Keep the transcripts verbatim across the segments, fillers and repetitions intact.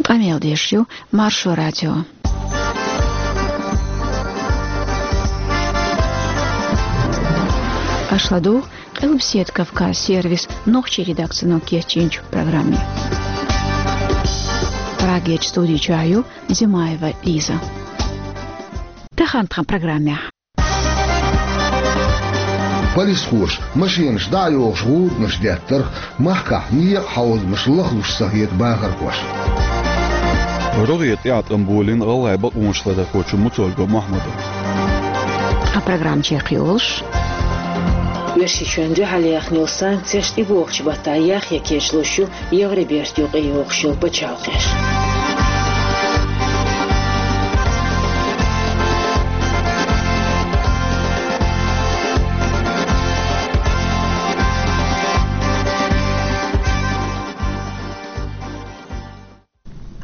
Къамел деш ю Маршо радио. Аша ладугӀу Къилбаседа Кавказ сервисан нохчийн редакцино кечйинчу программе. Прагерчу студи чохь ю Димаева Лиза. Тахана тхан программехь. Полисхоша машенаш дӀа а йохуш гӀуданаш деттарх, махкахь некъан хьовзамаш лахлуш ца хета бахархоша. РогӀера тӀеӀаткъам болийна гӀалгӀайн бакъонаш ларъярхочун Муцольгов Мохьмада. Тхан программа чекхйолуш. Оьрсийчоьнна дуьхьал яьхна йолу санкцеш тӀебогӀучу баттахь яхъян кечлуш ю Евробертан юкъа йогӀуш йолу пачхьалкхеш.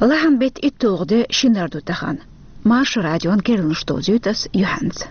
Лахьан-беттан итталгӀа де, шинара ду тахана. Маршо радион керланаш довзуьйту ас юьхьанца.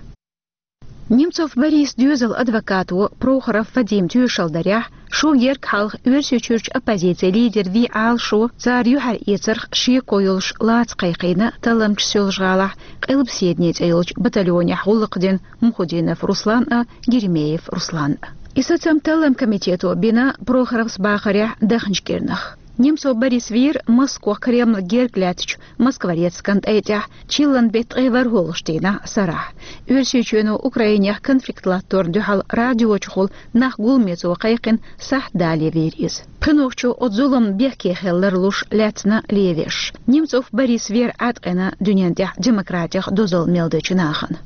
Немцов Борис доьзалан адвокато Прохоров Вадим тоьшалла дарехь, шо гергга хьалха Оьрсийчуьрчу оппозицин лидер вен Ӏалашо цара юьхьар эцарх шеко йолуш лаца кхайкхийна талламчаш йолчу гӀалахь Къилбаседане цӀе йолчу батальонехь гӀуллакх дина Мухудинов Руслан а, Геремеев Руслан а. И сацам таллам комитето бина Прохоровс бахарехь даханчу кӀирнах. Немцов Борис вийра Москох Кремль герга лаьттачу Москворецкан тӀай тӀехь, чиллан беттан ткъе ворхӀалгӀачу дийнахь сарахь. Оьрсийчоьно Украинехь конфликт латторна дуьхьал радиочухула нах гуламечу кхайкхина сахьт дале вийра иза. Пхи нохчо оцу зуламна бехке хила ларлуш лаьцна левеш. Немцов Борис вийра Ӏаткъина дуьнен тӀехь демократех дозалла мел дечу нахана.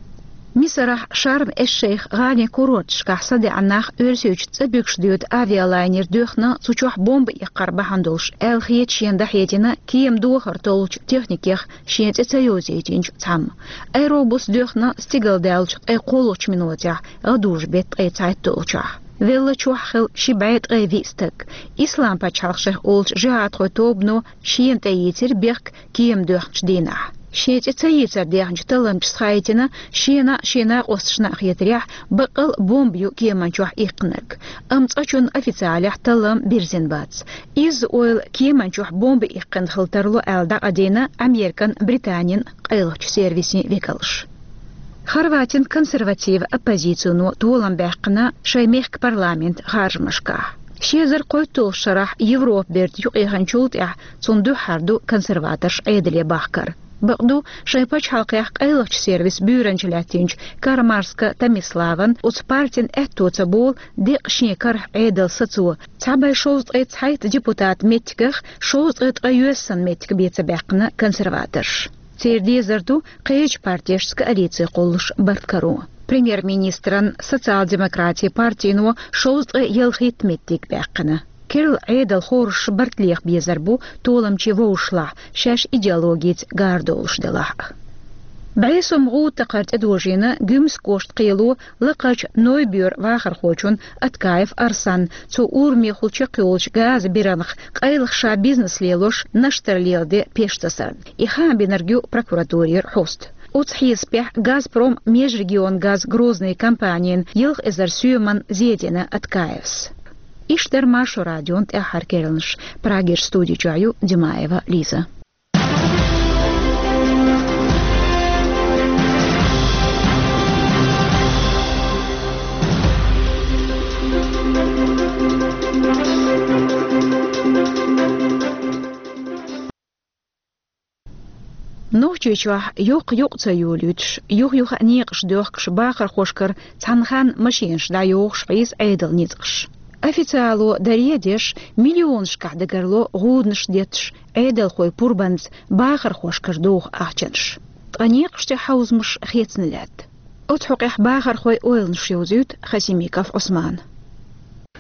Мисарахь Шарм-эш-Шейх гӀалин курорташкахь садаьӀна нах Оьрсийчу цӀа буьгуш доьду авиалайнер доьхна, цу чохь бомба иккхар бахьана долуш, аьлла хета шена дӀахьедина кема дохар толлучу техникех шен цӀе ца йовзийтинчу цхьамма. Аэробус доьхна стигалдаьллачу ткъе кхоалгӀачу минотехь, гӀадужу беттан ткъе цхьайтталгӀачохь. Велла чохь хилла ши бӀе ткъе виъ стаг. Ислам-пачхьалкх шайх олучу жихӀадхойн тобано шена тӀе йийцира бехк кема доьхначу дийнахь. Шен цӀе ца йийцар дехначу талламчас хаийтина, шена а, шен накъосташна а хетарехь, баккъал а бомба ю кеман чохь иккхинарг. Амма цкъачунна официалехь таллам бирзина бац. Изза ойла кеман чохь бомба иккхина хила тарло аьлла дӀакъадийна Американ, Британин къайлахчу сервисийн векалш. Хорватин консерватив оппозицино толам баьккхина шайн мехкан парламент харжамашкахь. Ши эзар кхойтталгӀачу шарахь Европа берда юкъеханчул тӀаьхьа цунна дуьххьара ду консерваторш Ӏедале бахкар. Бакъду, шайн пачхьалкхехь къайлахчу сервисан буьйранча лаьттинчу Кармарска Томиславан оцу партин аьтто ца болу декъа шен карахь Ӏедал сацо, цхьа бӀе шовзткъе цхьайтта депутат меттигах шовзткъе ткъе йоьссан меттиг бен ца баьккхина консерваторш. Церан дезар ду кхечу партешца коалици кхуллуш барт каро. Премьер-министран, социал-демократийн партино шовзткъе ялхитта меттиг баьккхина. Керла Ӏедал хоржуш барт леха безар бу толамчийн вовшашлахь, шаьш идеологица гар долуш делахь а. БӀе сом гӀуда такхар тӀедожийна Гуьмсан кӀоштан кхело лакхарчу Нойбоьран вахархочунна Аткаев Арсанна, цо урамехула чекхйолучу газан биранах къайлаха ша бизнес лелош Наштара леладе пеш тасарна. И хаам бинарг ю прокуратурера хьоста. Оцу хьесапехь, «Газпром межрегионгаз Грозный» компанина ялх эзар соьман зе дина Аткаевс. Иштта дара Маршо радион тӀаьххьара керланаш. Прагерчу студи чохь ю Димаева Лиза. Нохчийчохь йоккха юкъ ца йолуьйтуш, юха-юха а некъаш доьхкуш бахархошкара цхьана ханна машенаш дӀайохуш хьийза Ӏедалан ницкъаш. Официало даре а деш, миллионашкахь дагарло гӀуданаш детташ Ӏедалхойн пурбанца бахархошкара доху ахчанаш. Ткъа некъаш тӀе хьовзамаш хецна лаьтта. Оцу хьокъехь бахархойн ойланаш йовзуьйту Хасимиков Ӏусмана.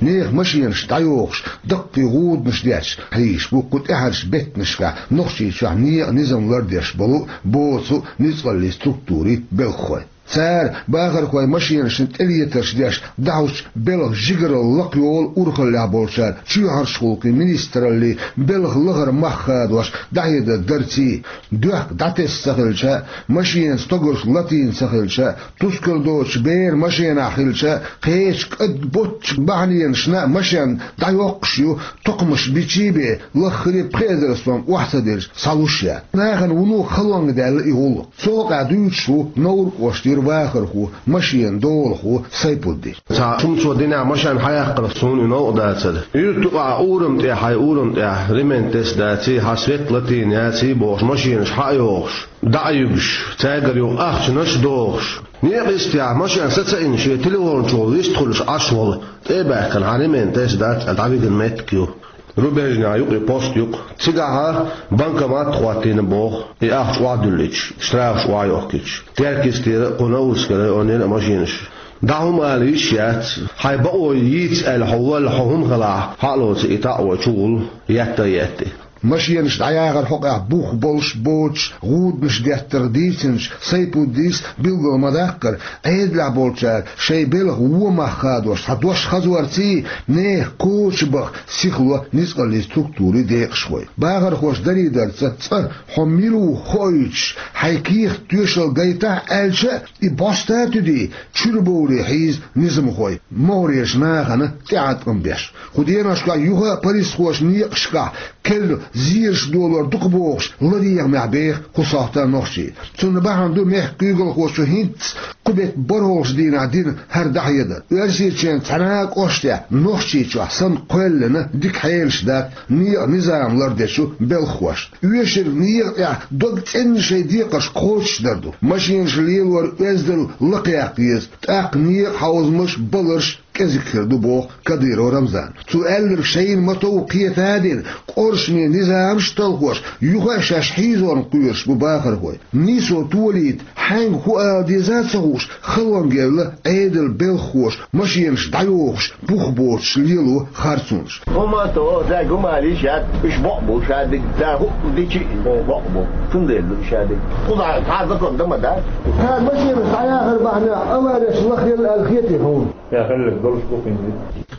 Нехан машенаш дӀайохуш, даккхий гӀуданаш детташ хьийзаш бу кху тӀаьхьарчу беттанашкахь Нохчийчохь некъан низам лардеш болу боцу ницкъаллийн структурийн белхахой. Цара бахархой машенашна тӀелетарш деш дӀахьочу белхан жигаралла лакхайолу урхаллехь болчара чоьхьарчу гӀуллакхийн министраллин белхан лахара мах хадош дӀахьедар дарций, доьхка дӀатесна ца хилча а, машенан стогарш латийна ца хилча а, тускар доцуш бер машенахь хилча а, кхечу кӀадбоцчу бахьанашна а машен дӀайоккхуш ю, тукхамаш бичий бен, лаххара пхеа эзар сом охьа ца делча, схьалуш яц. Нахана вуно халонга даьлла и гӀуллакх. Цу хьокъехь дуьйцуш ву Невран кӀоштара вахархо, машенан долахо Сайпуддин. Цхьа шимсо динехь машен хьаяккхарх суна и новкъа дацара. Юьртан юкъахь урам тӀехь, хьайн урам тӀехь ремонт тесна даций, хьан свет латийна яций бохуш, машенаш хьа а йохуш, дӀа а юьгуш, цаьргара юха ахчанаш а дохуш. Некъ йистехь машен саца а йина, шен телефон чухула вист хуьлуш Ӏаш волу, тӀе а баьхкина, хьан ремонт тесна дац аьлла дӀавигна меттиг ю. Рубежнехь ю-кх и, пост ю-кх. Цигахь банкомат а хӀоттийна боху, и ахча охьадуьллича, штрафаш охьайохкуьйтуш. Теркйистера а, кху Новрскан районера а машенаш. ДӀа хӀума ала йиш яц. Хьайн бакъо йийца аьлла хьо валла, хьо хӀума хилахь, хьа а лоций, и такъо чу гӀур етта а етта. Машенаш дӀаяхаран хьокъехь бух болуш, боцуш, гӀуданаш деттарх дийцинчу Сайпуддис билггал ма-даккхара, Ӏедалехь болчара шайн белхан вон мах хадош цхьа дош хазорций, нехан коча баха сихло ницкъаллин структурийн декъашхой. Бахархоша дарийдарца цкъа хьо мила ву хоуьйтуш, хьайн кехат тоьшалла гайтахь аьлча а, и бӀоста туьдий, чуьра бовлий хьийза низамхой, могӀарерчу нахана тӀеӀаткъам беш. Кху деношкахь юха а полисхоша некъашкахь керла зераш долор дукха бохуш, ладегӀамехь беха кху сохьта нохчий. Цунна бахьана ду мехкан куьйгалхоша хӀинцца кху беттан бархӀолгӀачу дийнахь дина хӀара дӀахьедар. Оьрсийчоьнан цхьана а кӀоштехь Нохчийчохь санна кхоьллина дика хьелаш дац некъан низам лардечу белхахошна. Оьшург некъа тӀехь дог цӀена шайн декхарш кхочушдар ду. Машенаш лелор оьздал лакхаяккха еза, тӀаккха некъан хьовзамаш, баларш кӀезиг хир ду, боху Кадыров Рамзана. Цо аьлларг шайна ма-тов кхета а дина, къоршаме низамаш а талхош, юха а шаьш хьийзорна кхоьруш бу бахархой. Нийсо толийта, хьаьнга хӀун ала деза а ца хууш, халонга евлла Ӏедалан белхахоша машенаш дӀайохуш, бух боцуш лело харцонаш. ХӀума а то, дай гумалиш яц, уьш бокъ бу шадерг, дай хӀуъу дичи бокъ бу. Цундела ду шадерг. Кхузахь цхьа а закон дан ма дац. Цара машенаш дӀаяхар бахьанехь авареш лахъелла аьлла хетий хьуна? Я хилларг долуш бу хӀинца.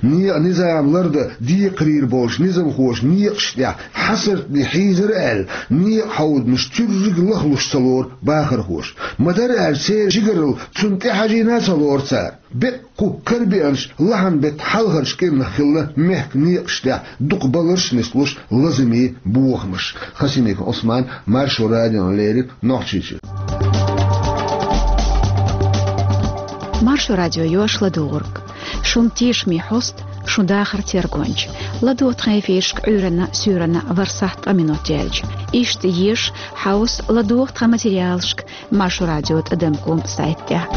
Некъан низам лардан декхарийра болчу низамхоша некъаш тӀехь хьасартне хьийзара аьлла, некъан хьовзамаш цуьрриг лахлуш ца лору бахархоша. Ма-дарра аьлча, церан жигаралла цунна тӀехьажийна а ца лору цара. Беккъа кху карабеанчу лахьан беттан хьалхарчу кӀирнах хилла мехкан некъаш тӀехь дукха баларш а нислуш лазаме бохамаш. Хасимиков Ӏусман, Маршо радиона леррина, Нохчийчуьра. Маршо радио йош ладугӀург. Шун тешаме хьоста, шун дахар тергонча. ЛадогӀа тхан эфирашка Ӏуьйранна, суьйранна ворхӀ сахьт ткъа минот яьлча. Иштта еша, хьовса, ладогӀа тхан материалашка Маршо радио тӀадам ком сайтехь.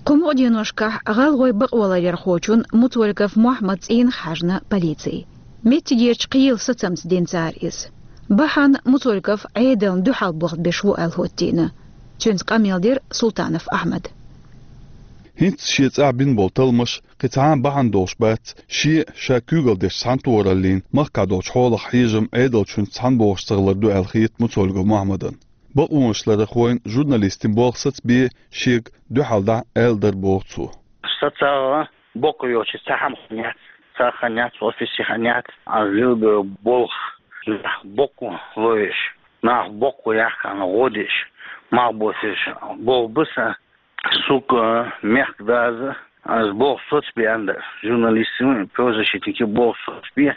Кху мукъа деношкахь гӀалгӀай бакъоларъярхочун Муцольгов Мохьмадан цӀийнах хьаьжна полици. Меттигерчу кхелан сацамца дина цара иза. Бахьана Муцольгов Ӏедална дуьхьал болх беш ву аьлла хӀоттийна. Цуьнца къамел дира Султанов Ахьмада. ХӀинцца шен цӀахь бина болу талламаш кхин цхьа а бахьана долуш бац, шен а, ша куьйгалла дечу цхьаьнатохараллин махкахь долчу хьолах хьежам Ӏедалчуьнца цхьаьна богӀуш ца хилар ду аьлла хета Муцольгов Мохьмадана. Бакъонаш ларъярхойн журналистийн болх сацабе шега дуьхьал дӀа аьлла дара боху цо. Сан цӀахь боккха йоцуш цхьа хӀума хан яц, цхьа хан яц, офисе хан яц, аз лелабе болх нах боккха ловеш, нах боккха яхкана гӀо деш, мах боцуш болх бу сан. Сука, мехкан даза, аз болх соцабе аьлла дара, журналистийн, правозащитникийн болх соцабе,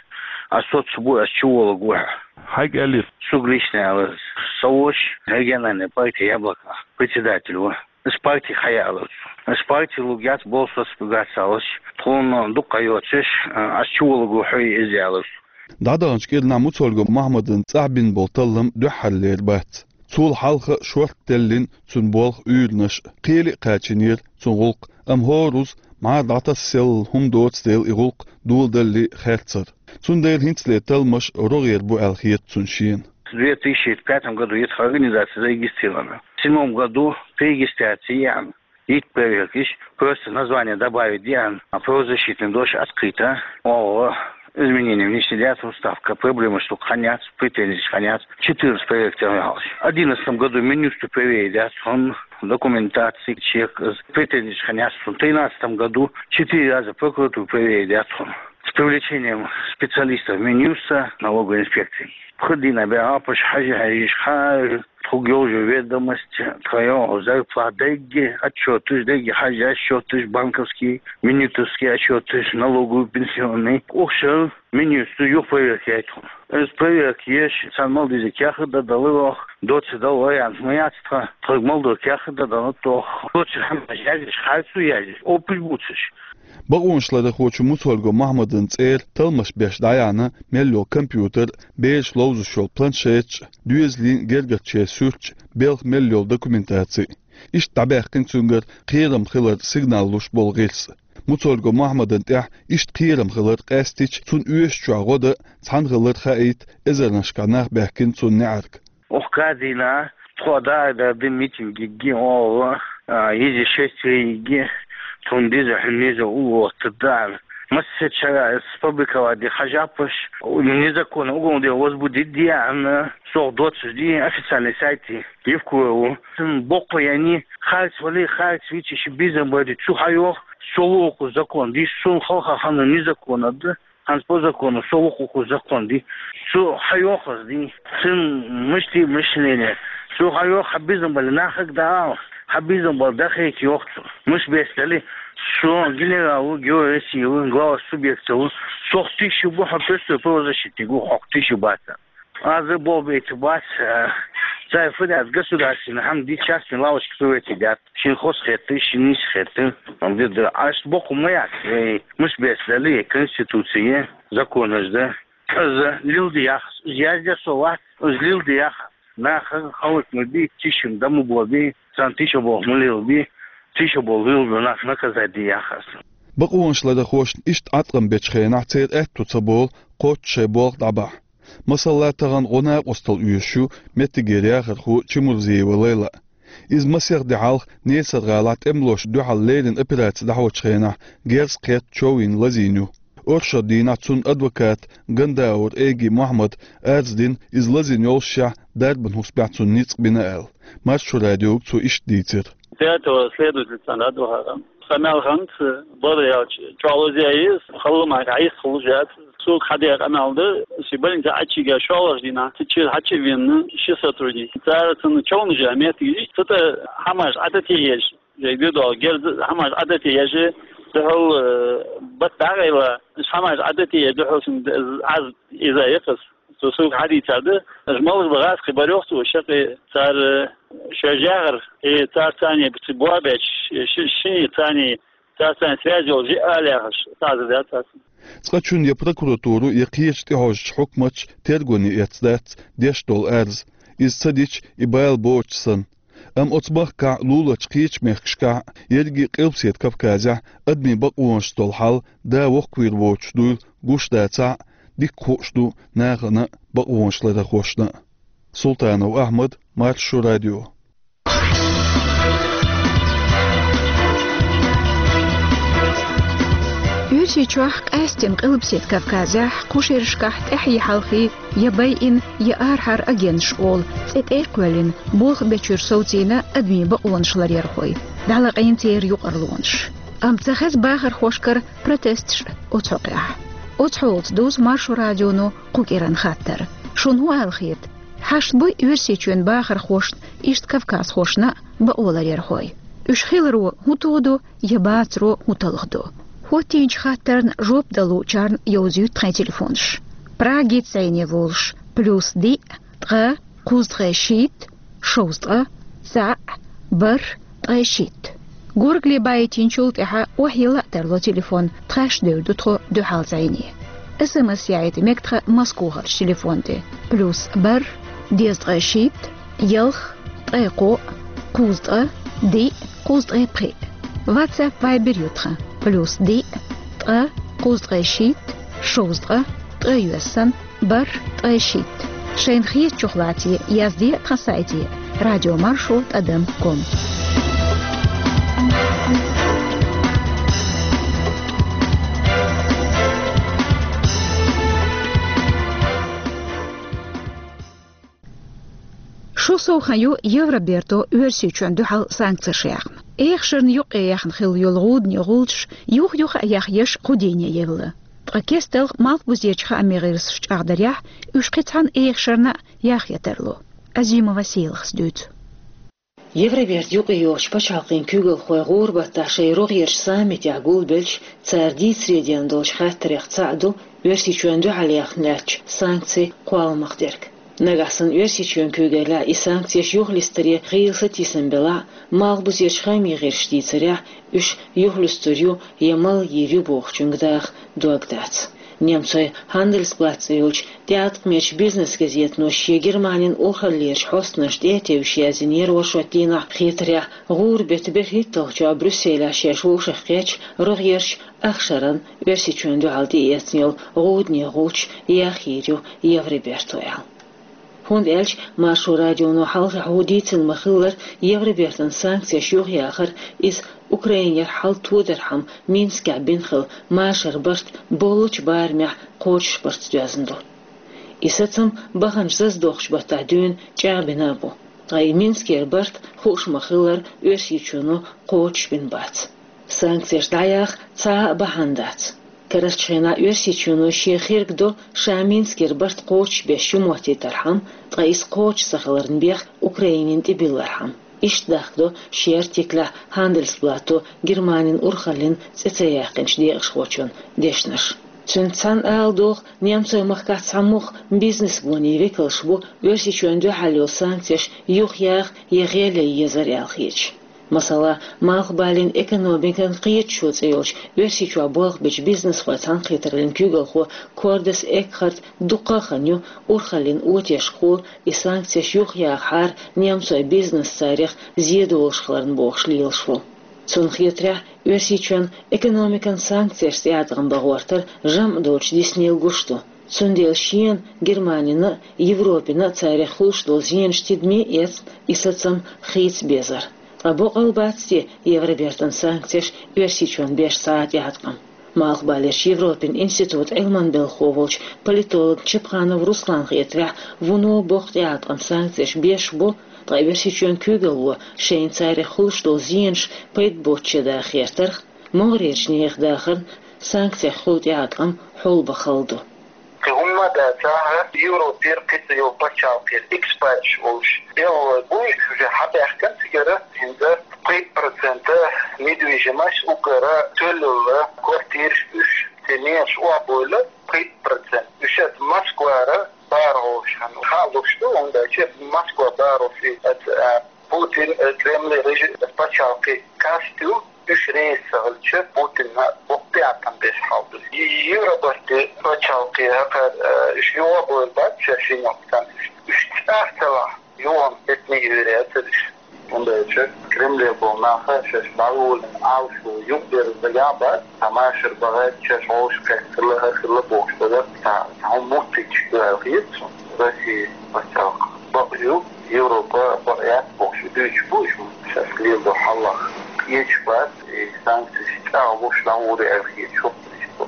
аз соцабу, аз чуволург ву хьо. Хьайга аьллера? Сука лично аьлла. Со воцуш региональный партии «Яблоко» председатель ву. Ас партига хьаяьлларца. Ас партига лург яц, болх соцуш бу гацаллаш. Тхуна дукха йоцуш, ас чуволург ву хьо иза аьлларца. ДӀадаханчу кӀирнахь Муцольгов Мохьмадан цӀахь бина болу таллам дуьххьарлера бац. Цул хьалха шортта теллина цуьнан болх, уьйранаш а, кхеле а кхачийнера цуьнан гӀуллакх, амма хӀора уьш мӀара дӀатасса селлал хӀума доцу дела и гӀуллакх доладалале хаьрцара. Цундела хӀинцалера талламаш рогӀера бу аьлла хета цунна шена. В две тысячи пятом году эта организация зарегистрирована. В седьмом году при регистрации яьхна, йита проверка йича, просто название добавить деана, а правозащитный дош открыто, оха Изменения внести яц в устав, проблема, что хьаняц, претензии хьаняц. Четырнадцать проектов. В одиннадцатом году Минюсту проверить яц, он документации чек, претензии хьаняц. В тринадцатом году четыре раза прокуратуру проверить яц, он с привлечением специалистов Минюста, налоговой инспекции. Пхи дийнахьа бегӀа апаш хьажи хьажиш хьар, тхуг йолча ведомость, тха йоагӀа зарплата дегги, отчёташ дегги, хьажа отчёташ, банковский, минюстовский отчёташ, налоговый, пенсионный. Укх шера Минюсту юха проверка яй тхона. Из проверка еш, царна мел деза кехат дӀадала оаха, доцца дала вариант ма яц тха, тхога мел дола кехат дӀадала оаха. Доцца хӀамаш язъеш, харцо язъеш, опыт бувцаш. Бакъонашларахочо Муцольгов Мохьмадан цӀера талламаш беш дӀаяьхьна мел йола компьютер, бераша ловзаш йола планшеташ, доьзалийн гергарчеран суьрташ, белхан мел йола документаци. Иштта дӀабаьккхина цуьнгара кхерам хилар сигнал луш бола гӀирс. Муцольгов Мохьмадан тӀехь иштта кхерам хилар къаьстича, цунна оьшучохь гӀо дан цхьаьна хилар хаийта эзарнашкахь нах баьхкина цунна неӀарга. Укх кхаа дийнахьа тхо дӀа а даьдда митинг йига оаха, а, йизи шесть йига, тхона деза хьуна низа уллохь тӀа дӀа. Массерчара фабриковать де хьажапаш, незаконно уголовное дело возбудить де аьнна, сох доццуш де официальный сайт Евкурова. Цун боккха яьнна, харц вале, харц вичи ши безам баьде, цо хьайоах, со лоху закон де, сона хьалха хьанна незаконно да. ХӀанз по закону, со вокху закон де. Цо хьайоах аз де. Цун мишта мышление. Цо хьайоах, хьан безам бале нахага дӀаала. Хьан безам бале дӀахайта йоах цо. Муш бес дале, со генерал ву, герой России ву, глава субъекта ву. Сох тийша бу, хьо простой правозащитник ву, хьох тийша бац. Аз болх бейта бац, э, цай фу дац, государственный хӀама де, частный лавочка сувете дац. Шин хос хетта, шин нийса хетта. Ам де да, аш боккха ма яц. Э, муш бес дале, Конституция, законаш да. Аз лилда яхаш, аз язде со вац, аз лилда яхаш. Наха халкъ ма бий, тийша ма бо бий, царна тийша болх ма лелабий, тийша болх лелабо нах наказать де яхаш. Бакъонашларахошна иштта Ӏаткъам бечу хенахь церан аьтто ца болу кхоччуш шайн болх дӀабахьа. Масала, тахана гӀо накъосталла оьшуш ю меттигера яхархо Чимурзиева Лайла. Иза масех де хьалха Несар-гӀалахь тӀемалошна дуьхьал леррина операци дӀахьочу хенахь герз кхетта чов йина лазийна ю. Оршот дийнахь цуьнан адвоката Гандаур Эйги Мохьмада арз дина, иза лазийна йоллушехь дарбан хӀусамехь цунна ницкъ бина аьлла. Маршо радиога цо иштта дийцира. До этого следователь цхьана адвокатом. Къамел хӀинца, бара яьлча, чӀоагӀа лазийна ю иза, хала ма хьийса хуьлуш яц. Цо хьадеа къамел ду, шен больница Ӏаччигга шолгӀачу дийнахь, цу чуьра хьачу а веана, ши сотрудник. Цара цунна човнаш яь меттиг йиш, цу тӀа хӀамаш Ӏадате еш, жай дуьдолу герз хӀамаш Ӏадате еш, дуьхьал, э, бат дӀагӀайла, хӀамаш Ӏадате еш, дуьхьал шин Ӏаз иза якхас. Цо суьга хьадийцар ду, аша малхбан гӀазкхий барйоху цо шаккхе цара шоьжагӀар, и цара царний бици бо бечу, ши-, шиний царний, цара царний связь йолу жиъ ала яхаш, цхьа а дац цара. Цкъачунна я прокуратура, я кхечу тӀехьожучу хьукматаш тергоне эцна дац деш долу арз. Иза ца дича, и бала боцуш санна. Амма оцу махкахь, луларчу кхечу мехкашкахь, ерриге Къилбаседа Кавказехь адамийн бакъонашца долу хьал да воккхавийр воцуш дуйла гуш дацахь а, дика хууш ду нахана а, бакъонашларахошна а. Султанов Ахьмад, Маршо радио. Оьрсийчохь, къаьсттина Къилбаседа Кавказехь, кху шерашкахь тӀаьхье-хьалхе я байина, я арахьара агенташ олу цӀе тӀе а кхоьллина, болх бечуьра совцийна адамийн бакъонаш ларъярхой, дӀалаьцна церан юкъарлонаш. Амма ца хеза бахархошкара протесташ оцу хьокъехь. Оцу хьолаца дузу Маршо радионо кху кӀиран хаттар. Шуна хӀун аьлла хета? Хьашт буй Оьрсийчоьнан бахархошна, иштта кавказхошна а бакъо ларъярхой? Уьш хиларо хӀун тодо я бацаро хӀун талхадо? ХӀоттийначу хаттарна жоп далучарна йовзуьйту тхайн телефонаш. Прагица зӀене волуш: плюс диъ, ткъа, кхузткъе шийтта, шовзткъа, цхьаъ, бархӀ, ткъе шийтта. Горгали баийтинчул тӀаьхьа охьайилла а тарло телефон, тхаьш девр ду тхо дуьхьал зӀене. СМС яийта мега тхан Москвахарчу телефон тӀе: плюс бархӀ, дезткъе шийтта, ялх, ткъе кхоъ, кхузткъа, диъ, кхузткъе пхиъ. WhatsApp, Viber ю тхан: плюс диъ, ткъа, кхузткъе шийтта, шовзткъа, ткъе йоьссан, бархӀ, ткъе шийтта. Шайна хетачух лаций, язде тхан сайте: радиомаршо тӀадам ком. Шо сов хан ю Евроберто Оьрсийчоьнна дуьхьал санкцеш яьхна. Эхашарна юкъе яьхна хилла йолу гӀудане гӀулчаш юх-юха а яха еш кху дийне евлла. Ткъа кестта Малхбузерчу хаамийн гӀирсаша чӀагӀдарехь, уьш кхин цхьана эхашарна а яхъе тарло. Азимова Сийлахьас дуьйцу. Евроберта юкъе йолчу пачхьалкхийн куьйгалхой гӀура баттахь шайн рогӀерчу саммитехь гулбелча, цара дийцаре дина долчу хаттарех цхьаъ ду Оьрсийчоьнна дуьхьал яьхна лаьттачу санкцийн кхолламах дерг. Нагахь санна Оьрсийчоьнан куьйгаллехь и санкцеш юхалистаре гӀийла сатийсам белахь а, Малхбузерчу хаамийн гӀирсаша дийцарехь, уьш юхалуьстур ю я малйийр ю бохучуьнга даха дог дац. Немцойн Handelsblatt цӀе йолчу тӀеӀаткъамечу бизнес-газетано шен Германин урхаллерчу хьостанашна тӀе а тевжаш яздинера оршот дийнахь, хетарехь, гӀура беттан берхӀитталгӀачохь Брюсселехь шаьш вовшахкхетча, рогӀерчу ахшарна Оьрсийчоьнна дуьхьал тӀеэцна йолу гӀудане гӀулчаш яхйийр ю Евроберто аьлла. ХӀунда аьлча Маршо радионо хьалхахь ву дийцина ма-хиллара, Евробертан санкцеш юхаяхар, иза Украинера хьал тодархьама Минскехь бина хилла машаран барт боллучу барамехь кхочушбарца доьзна ду. И сацам баханчу заздоккхучу баттахь дуьйна чӀагӀбина а бу. Ткъа и Минскера барт, хууш ма-хиллара, Оьрсийчоьно кхочушбина бац. Санкцеш дӀаяха цхьа а бахьана дац. Карарчу хенахь Оьрсийчоьно шен херг до, ша Минскера барт кхочушбеш ю моттийтархьама, ткъа иза кхочуш ца хиларна бехк Украинина тӀебиллархьама. Иштта дахкадо шен артиклехь Handelsblatt-о Германин урхаллин цӀе ца яьккхинчу декъашхочун дешнаш. Цуьнца цхьаьна ала догӀу, немцойн махкахь цхьа муха бизнес-гонийн векалш бу Оьрсийчоьнна дуьхьал йолу санкцеш юхаяха я гӀелъян езар аьлла хеташ. Масала, Малхбалин «Экономикан кхеташо» цӀе йолчу Оьрсийчохь болх бечу бизнесхойн цхьаьнакхетараллин куьйгалхо Кордес Экхарт дукха а хан ю урхаллин отешкахула и санкцеш юхаяхахьара немцойн бизнес царех зен долуш хиларна бохуш лелаш ву. Цунна хетарехь, Оьрсийчоьнна экономикан санкцешца тӀеӀаткъам бан гӀортар жамӀ доцуш диснийла гуш ду. Цундела шена, Германина а, Европина а царех хуьлуш долу зенаш тидаме а эцна, и сацам хийца безар. Ткъа боккъал бац те Евробертан санкцеш Оьрсийчоьнна беш цхьа а тӀеӀаткъам? Малхбалерчу Европин институтан Ӏилманан белхахо волчу политолог Чапханов Русланна хетарехь, вуно боккха тӀеӀаткъам санкцеш беш бу, ткъа Оьрсийчоьнан куьйгалло шайна царех хуьлуш долу зенаш пайда боцучу даха гӀертарх, могӀарерчу нехан дахарна санкцех хуьлу тӀеӀаткъам хьулбан хала ду. Кхин хӀумма а дацахь, Европера кхин цхьа йолу пачхьалкхера экспаташ волуш белхалой бу, уьш уже хьабаьхкина цигара, хӀинца пхийтта процента недвижимость уггара тоьлла йолу квартираш, уьш церан ненаш охьабойла, пхийтта процент. Уьш оцу Москвара бархӀолгӀачу хенахь хаа луш ду, хӀунда аьлча Москва бархӀолгӀачу оцу, а, Путин, э, Кремль режим, пачхьалкхе каста ю, уьш реза ца хилча, Путинна боккха тӀеӀаткъам беш хьал ду. Евробарте пачхьалкхе хӀокхара, э, уьш юха а бойла бац шаьш йина йолу санкцеш. Уьш цӀахь ца лахь, юха а беттане йийр яцара уьш. ХӀунда аьлча Кремлехь болу нах шаьш дӀаволийна Ӏалашо юкъадерза дагахь а бац, цхьа машар бахийта, шаьш вовшахкхетта хилла, хӀара хилла бохуш дагахь, цхьа, цхьа хӀума моттуьйтуш ду аьлла хета суна. Россин пачхьалкх бакъ ю, Европа бакъ яц бохуш дуьйцуш бу уьш, шаьш леладо хьалха. Кхеташ бац, и санкцеш чӀагӀлуш дӀагӀур ю аьлла хеташ хӀокхунаш бу.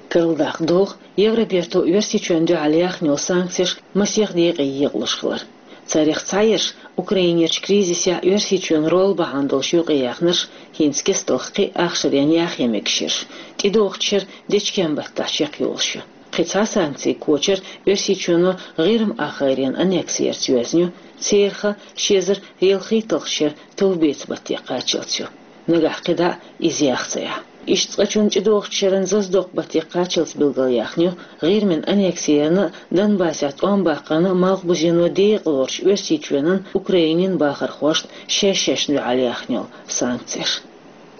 Карладаккха догӀу, Евроберто Оьрсийчоьнна дуьхьал яьхна йолу санкцеш масех декъе екъалуш хилар. Царех цхьаерш, Украинерчу кризисехь Оьрсийчоьнан роль бахьана долуш юкъаяьхнарш, хӀинца кестта кхин а ахшаренна яхъян мегаш ерш, тӀедогӀучу шеран дечкен баттахь чекхйолуш ю. Кхин цхьа санкцийн кочар Оьрсийчоьно ГӀирма ахгӀайренан аннекси ярца йоьзна ю, церан хан ши эзар ялхитталгӀачу шеран товбеца батте кхаччалц ю. Нагахь кхидӀа а иза яха ца Ӏа. Иштта цкъачунна тӀедогӀучу шеран заздоккху батте кхаччалц билгалъяьхна ю ГӀирмин аннекси ярна а, Донбассехь тӀом баккхарна а Малхбузено декъалоруш Оьрсийчоьнан, Украинин бахархошна шаьш-шаьшна дуьхьал яьхна йолу санкцеш.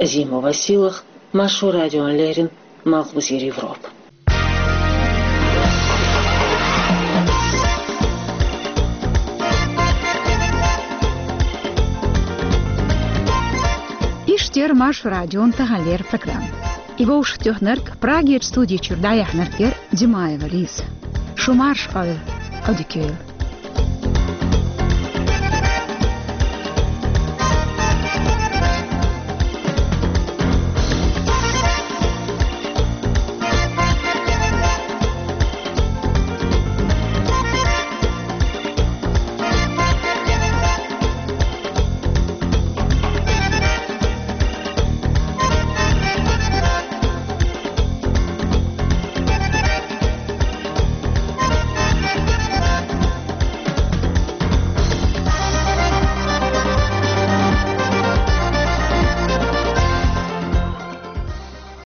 Азимова Сийлахь, Маршо радиона леррина, Малхбузера Европа. Иштта яра Маршо радион таханлера программа. И вовшахтоьхнарг, Прагерчу студи чуьра дӀаяьхьнарг яра Димаева Лиза. Шу марша Ӏойла, Ӏодика йойла.